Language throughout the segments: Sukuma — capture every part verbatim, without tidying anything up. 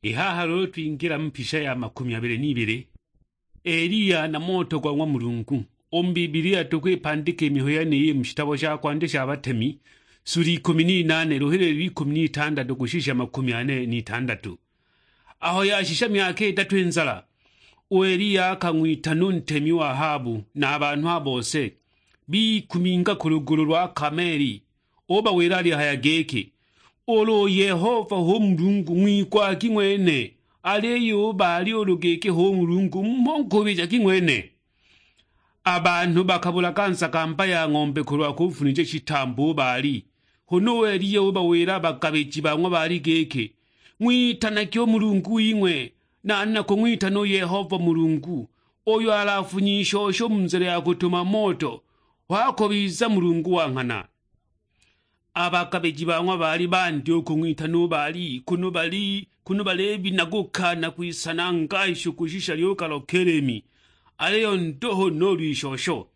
I haha luulu twingila mu pisha ya makumi abili n'ibili, Eliya na moto gwa ng'wa Mulungu. U mu Bibilia tukwipandika i mihayo yeniyi mu shitabo sha Kwandya sha Batemi, sula ikumi n'inaane, luhililo lwa ikumi n'itandatu kushisha makumi ane n'itandatu. Aho yashisha myaka idatu i nzala, u Eliya akang'witana u ntemi o Ahabu na a banhu a bose, bikuminga ku lugulu lwa Kameeli. Ubawila alihaya giki, "Ulu u Yehova hu Mulungu, ng'wigwagi ng'wene, aliyo u Baali ulu giki hu Mulungu, mho nkubijagi ng'wene." A banhu bakabulaga nsakamba ya ng'ombe kulwa kufunija shitambo u Baali. Huna u Eliya ubawila a bagabiji ba ng'wa Baali giki, "Ng'witanagi u Mulungu wing'we, nane nakung'witana u Yehova Mulungu, uyo alafunya i shosho mu nzila ya kutuma moto, ho akubiza Mulungu wa nghana." A bagabiji ba ng'wa Baali bandya u kung'witana u Baali, kunu bali, kunu balibinaguka na kwisananga isho kushisha lyugalwa kelemi, aliyo nduhu nuulu ishosho.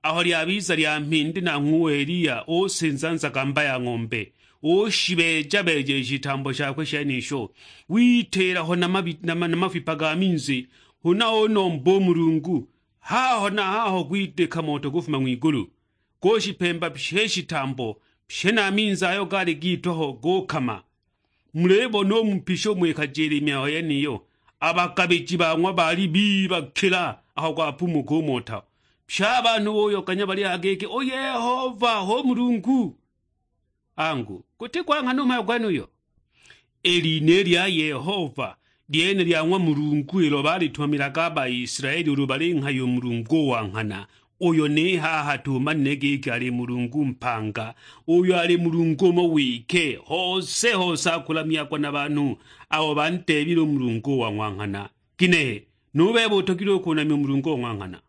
Aho lyabiza lya mhindi, nanghwe u Eliya usinza nzagamba ya ng'ombe, ushibeeja-beeja i shitambo shakwe shenisho, witiila ho na mabi-, na ma-, na mafipa ga minzi, huna unomba u Mulungu. Haho na haho gwidika moto gufuma ng'wigulu, gushipemba pye i shitambo, pye na a minzi ayo gaali gitwa ho gukama. Mulibona u mu pisha umo ikajila i mihayo yeniyo, a bagabiji ba ng'wa Baali bibakila aho gwapumuka u moto. Pye a banhu buyoganya balihaya giki, "U Yehova hu Mulungu!" Angu, guti gwa nghana u mhayo gwenuyo? I lina i lya Yehova lyene lya ng'wa Mulungu, ilo balitumamilaga a Baisilaeli ulu balinghaya u Mulungu o wa nghana, uyo ni haha tumanile giki ali Mulungu mpanga, uyo ali Mulungu umo wike, hose hose akulamyagwa na banhu abo bandeebile u Mulungu o wa ng'wa nghana. Ginehe, nu bebe utogilwe u kunamya u Mulungu o ng'wa nghana?